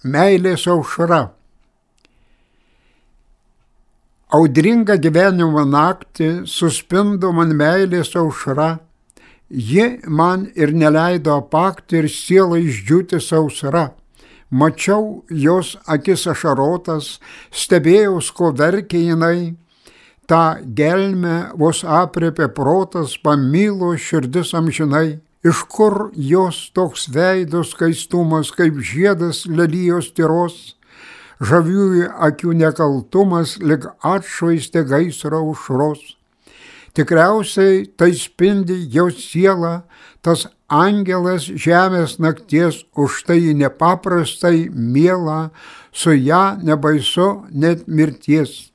meilės aušra. Audringą gyvenimo naktį suspindo man meilės aušra. Ji man ir neleido apakti ir sielą išdžiūti sausra. Mačiau jos akis ašarotas, stebėjaus, ko verkė jinai. Ta gelmę vos aprėpė protas, pamilo širdis amžinai. Iš kur jos toks veido skaistumas, kaip žiedas lelijos tyros? Žaviųjų akių nekaltumas, lig atšvaistė gaisro aušros. Tikriausiai tai spindi jos siela, tas angelas žemės nakties, už tai nepaprastai miela, su ja nebaisu net mirties.